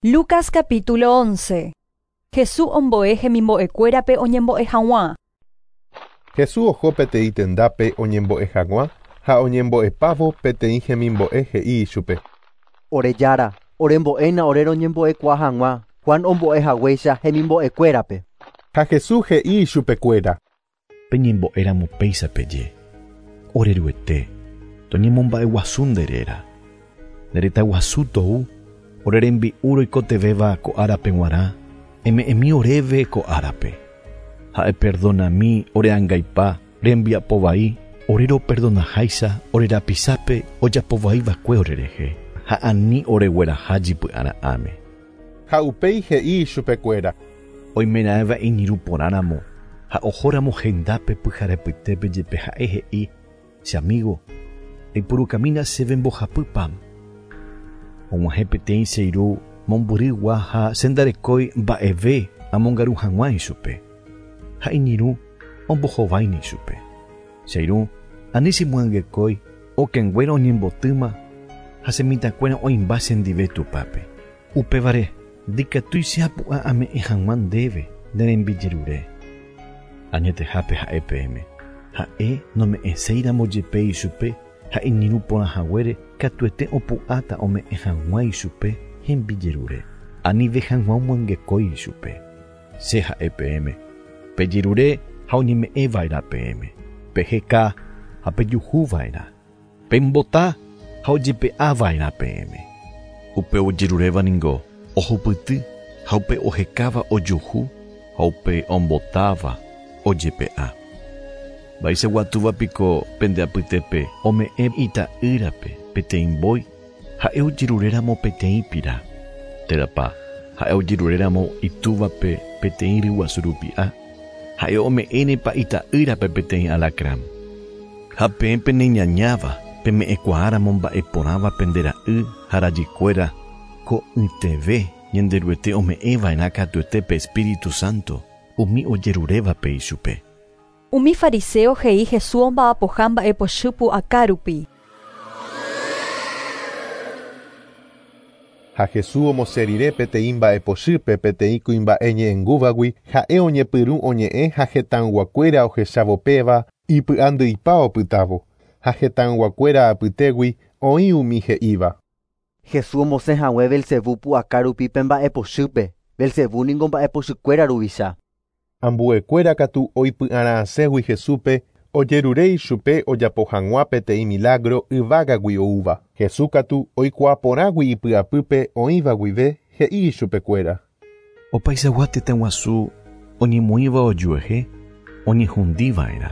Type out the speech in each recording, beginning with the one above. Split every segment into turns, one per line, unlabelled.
Lucas capítulo 11. Jesús ombo'e hemimbo'ekuérape oñembo'e hag̃ua.
Jesús oho peteĩ tendápe oñembo'e hag̃ua ha oñembo'epávo peteĩ hemimbo'e he'i ichupe.
Ore Jára, orembo'éna ore roñembo'ekuaa hag̃ua Juan ombo'ehaguéicha hemimbo'ekuérape.
Ha Jesús he'i ichupekuéra.
Peñembo'éramo péicha peje. Ore Ruete, toñemomba'eguasu nde réra. Nde retãguasu tou, ore rembi'u roikotevẽva ko árape g̃uarã, eme'ẽmi oréve ko árape. Ha eperdonami ore angaipa rembiapo vai, ore roperdonaháicha ore rapisápe ojapovaiva'ekue orerehe, ha ani oregueraha jypy'ara'ãme.
Ha upéi he'i ichupekuéra.
Oimeraẽva iñirũ porãramo ha ohóramo hendápe pyharepytépe jepe ha'e he'i, Che amigo, eipurukamína chéve mbohapy pan. Og̃uahẽ peteĩ che irũ mombyrygua ha che ndarekói mba'eve amongaru hag̃ua ichupe. Ha iñirũ ombohováine ichupe. Che irũ, ani chemyangekói, okẽnguéra oñembotýma ha che mitãkuéra oĩmba chendive tupápe. Upévare, ndikatúi che apu'ã ame'ẽ hag̃ua ndéve ne rembijerure. Añetehápe ha'e peẽme, ha'e nome'ẽséiramo jepe ichupe ha iñirũ porã haguére katuete opu'ãta ome'ẽ hag̃ua ichupe hembijerure, anive hag̃ua omyangekói ichupe. Che ha'e peẽme, pejerure ha oñeme'ẽ va'erã peẽme, peheka ha pejuhu va'erã, pembota ha ojepe'a va'erã peẽme. Upe ojeruréva ningo ohupyty ha upe ohekáva ojuhu ha upe ombotáva ojepe'a. Mba'eichagua túva piko pende apytépe ome'ẽ ita'ýrape peteĩ mbói ha'e ojeruréramo peteĩ pira, térãpa ha'e ojeruréramo itúvape peteĩ ryguasu rupi'a, ha'e ome'ẽnepa ita'ýrape peteĩ alakran? Ha peẽ peneñañáva peme'ẽkuaáramo mba'e porãva pende ra'y ha rajykuéra, ko'yteve Ñanderuete ome'ẽva'erã katuete pe Espíritu Santo umi ojerurévape ichupe.
Umi fariséo he'i Jesús omba'apoha mba'epochy pu'aka rupi.
Ha Jesús omosẽ rire peteĩ mba'epochýpe peteĩ kuimba'e ñe'ẽngúvagui, ha'e oñepyrũ oñe'ẽ ha hetãyguakuéra ohechávo péva, ipy'andyipa opytávo. Ha hetãyguakuéra apytégui oĩ umi he'íva.
Jesús omosẽ hague Belcebú pu'aka rupi pe mba'epochýpe, Belcebú ningo mba'epochykuéra ruvicha.
Ambuekuéra katu oipy'ara'ãségui Jesúspe, ojerure ichupe ojapo hag̃ua peteĩ milágro yvágagui oúva. Jesús katu oikuaa porãgui ipy'apýpe oĩva guive, he'i ichupekuéra.
Opaichagua tetã guasu oñemoĩva ojuehe oñehundi va'erã,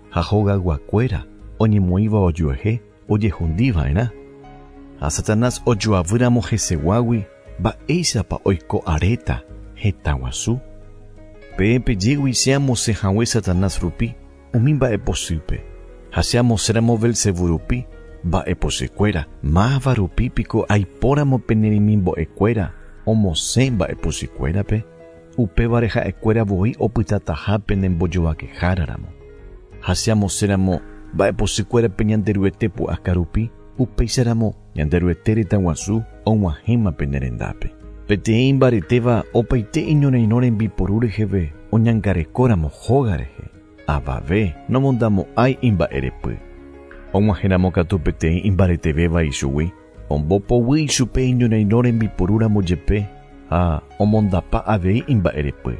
ha hogayguakuéra oñemoĩva ojuehe ojehundi va'erã. Ha Satanás ojoavýramo heseguágui, mba'éichapa oiko aréta hetã guasu? Peẽ pejégui che amosẽ hague Satanás rupi umi mba'epochýpe, ha che amosẽramo Belcebú rupi mba'epochykuéra, máva rupi piko aipóramo pene remimbo'ekuéra omosẽ mba'epochykuérape? Upévare ha'ekuéra voi opytataha pene mbojovakehára ramo. Ha che amosẽramo mba'epochykuérape Ñanderuete pu'aka rupi, upéicharamo Ñanderuete retãguasu og̃uahẽma pene rendápe. Peteĩ imbaretéva opaite iñorairõ rembiporu reheve oñangarekóramo hóga rehe, avave nomondamo'ãi imba'erepy. Og̃uahẽramo katu peteĩ imbaretevéva ichugui, ombopoguy ichupe iñorairõ rembiporúramo jepe ha omondapa avei imba'erepy.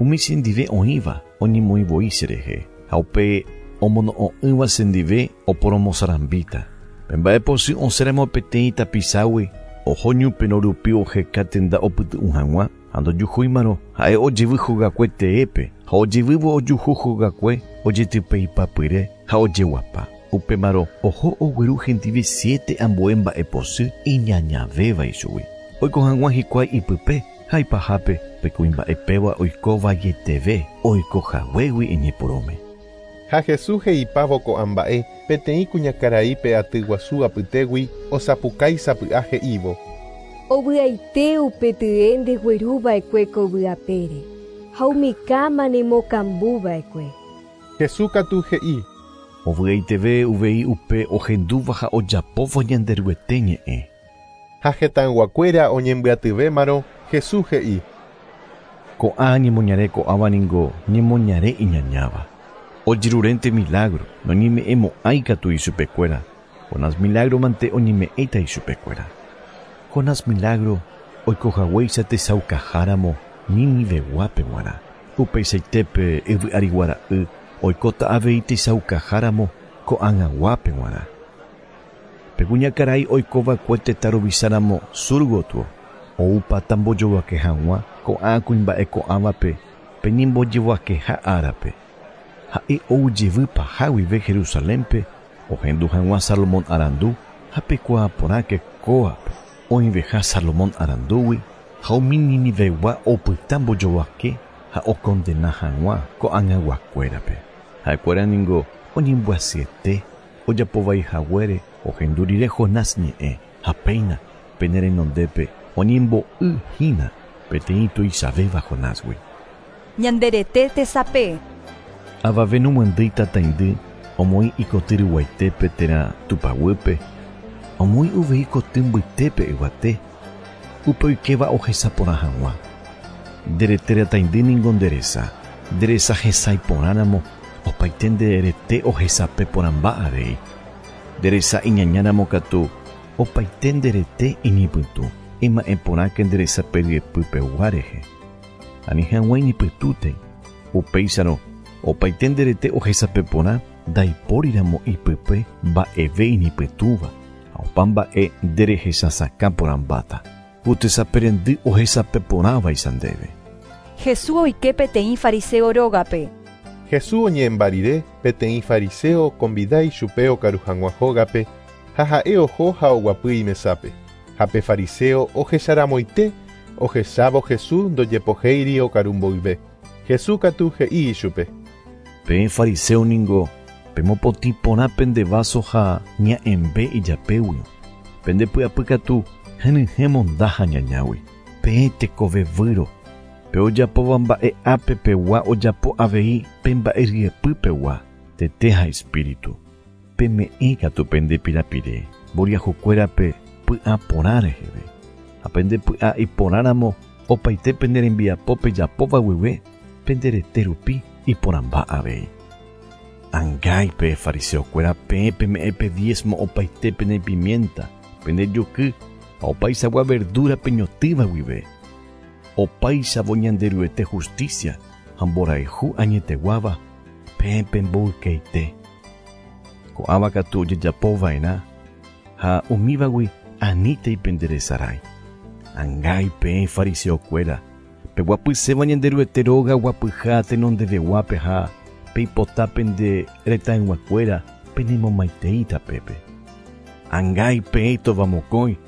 Umi chendive oĩva oñemoĩ voi cherehe, ha upe omono'õ'ỹva chendive oporomosarambíta. Pe mba'epochy osẽramo peteĩ tapichágui, oho ñuperõ rupi oheka tenda opytu'u hag̃ua, ha ndojuhúimarõ, ha'e ojevy hogakue teépe, ha ojevývo ojuhu hogakue ojetypeipapyre ha ojeguapa. Upémarõ oho ogueru hendive siete ambue mba'epochy iñañavéva ichugui, oiko hag̃ua hikuái ipype ha ipahápe pe kuimba'e péva oiko vaieteve oiko haguégui iñepyrũme.
Ha Jesús he'ipávo ko'ã mba'e, peteĩ kuñakarai pe aty guasu apytégui osapukái sapy'a he'ívo.
Ovy'aite upe tye ndegueru va'ekue ko yvy apére, ha umi káma nemokambu va'ekue.
Jesús katu he'i.
Ovy'aiteve uvei upe ohendúva ha ojapóva Ñanderuete ñe'ẽ.
Ha hetãyguakuéra oñembyatyvémarõ Jesús he'i.
Ko'ã ñemoñare ko'ãva ningo ñemoñare iñañáva. Ojerurénte milagro, noñeme'ẽmo'ãi katu ichupekuéra. Jonás milagro mante oñeme'ẽta ichupekuéra. Jonás milagro oikohaguéicha tesaukaháramo Niniveguápe g̃uarã. Upeichaitépe yvy'ariguara'y oikóta avei tesaukaháramo ko'ag̃aguápe g̃uarã. Pe kuñakarai oikova'ekue tetã ruvicháramo sur gotyo, oúpata mbojovake hag̃ua ko'ã kuimba'e ko'ãvape pe ñembojevoakeha árape. Ha'e ou jevy paha guive Jerusalénpe ohendu hag̃ua Salomón arandu ha pekuaa porãke kóvape oĩveha Salomón arandúgui ha umi Ninivegua opyta mbojovake ha okondena hag̃ua ko'ag̃aguakuérape. Ha'ekuéra ningo oñembyasyete ojapovaihaguére ohendu rire Jonás ñe'ẽ ha péina pene renondépe oñembo'y hína peteĩ tuichavéva Jonásgui.
Ñande rete tesape.
Avave nomyandýi tataindy omoĩ ikoty ryguaitépe térã tupaguýpe, omoĩ uvei koty mbytépe yvate, upe oikéva ohesa porã hag̃ua. Nde rete rataindy ningo nde resa, nde resa hesãi porãramo opaite nde rete ohesape porãmba avei. Nde resa iñañáramo katu opaite nde rete iñipytũ, ema'ẽ porãke nde resape ryepypegua rehe. Ani hag̃ua iñipytũtei, upéicharõ opaite nde rete ohesape porã ndaipóriramo ipype mba'eve iñipytũva ha opa mba'e nde rehechasakã porãmbáta. Ku tesape rendy ohesape porãvaicha ndéve.
Jesús oike peteĩ fariseo rógape.
Jesús oñe'ẽmba rire peteĩ fariseo okonvida ichupe okaru hag̃ua hógape ha ha'e oho ha oguapy imesápe. Ha pe fariseo ohecharamoite ohechávo Jesús ndojepohéiri okaru mboyve. Jesús katu he'i ichupe.
Peẽ fariseo ningo pemopotĩ porã pende vaso ha ña'ẽmbe ijapéguio. Pende py'apy katu henyhẽ monda ha ñañágui. Peẽ tekove výro. Pe ojapóva mba'e ápe pegua ojapo avei pe mba'e ryepy pegua, tete ha espíritu. Peme'ẽ katu pende pirapire mboriahukuérape py'a porã reheve. Ha pende py'a iporãramo opaite pene rembiapo pejapóva guive pende rete rupi iporãmba avei. Angái pe fariseokuéra peẽ peme'ẽ pe diezmo opaite pene pimienta, pende juky ha opaichagua verdura peñotỹva guive. Opáichavo Ñanderuete justicia ha mborayhu añeteguáva peẽ pemboykeite. Ko'ãva katu ojejapova'erã ha umívagui anítei penderesarái. Angái peẽ fariseokuéra, peguapyséva Ñanderuete róga guapyha tenondeveguápe ha peipota pende retãyguakuéra penemomaitei tapépe. Angái peẽ tovamokõi,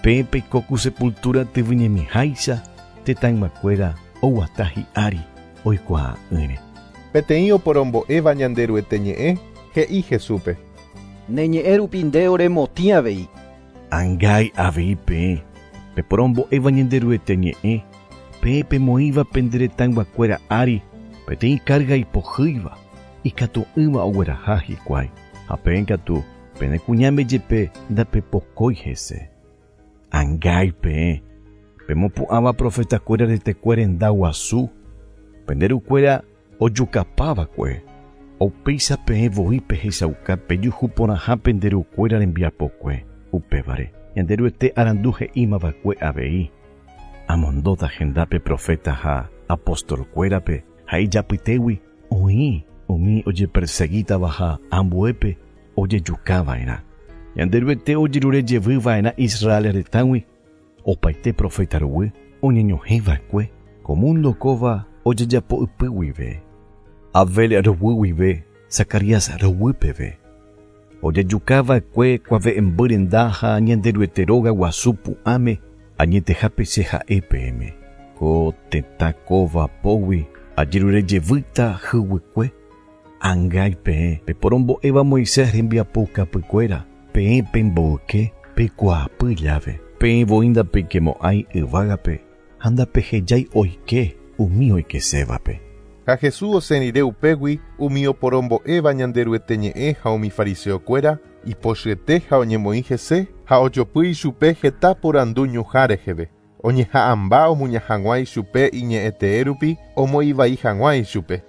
peẽ peiko ku sepultura tyvyñemiháicha tetãyguakuéra oguata hi'ári oikuaa'ỹre.
Peteĩ oporombo'éva Ñanderuete ñe'ẽ he'i Jesúspe.
Ne ñe'ẽ rupi nde oremotĩ avei.
Angái avei peẽ, peporombo'éva Ñanderuete ñe'ẽ, peẽ pemoĩva pende retãyguakuéra ári peteĩ carga ipohýiva, ikatu'ỹva ogueraha hikuái. Ha peẽ katu pene kuñáme jepe ndapepokói hese. Angái peẽ, pemopu'ãva profetakuéra retekue renda guasu, pende rukuéra ojukapava'ekue. Upéicha peẽ voi pehechauka pejuhu porãha pende rukuéra rembiapokue. Upévare, Ñanderuete arandu he'ímava'ekue avei. Amondóta hendápe profeta ha apostolkuérape ha ijapytégui oĩ umi ojepersegítava ha ambuépe ojejukava'erã. Ñanderuete ojerure jevyva'erã Israel retãgui opaite profeta ruguy oñeñohẽva'ekue ko mundo kóva ojejapo ypy guive. Abel ruguy guive Zacarías ruguy peve. Ojejukava'ekue kuave'ẽmby renda ha Ñanderuete róga guasu pu'ãme añetehápe che ha'e peẽme. Ko tetã kóva pógui ajerure jevýta hyguykue. Angái peẽ peporombo'éva Moisés rembiapoukapykuéra, peẽ pemboyke peikuaapy llave. Peẽ voi ndapeikemo'ãi yvágape ha ndapehejái oike umi oikesévape.
Ha Jesús osẽ rire upégui umi oporombo'éva Ñanderuete ñe'ẽ ha umi fariseokuéra ipochyete ha oñemoĩ hese ha ojopy ichupe heta porandu ñuhã reheve. Oñeha'ãmba omuña hag̃ua ichupe iñe'ẽtee rupi omoĩvai hag̃ua ichupe.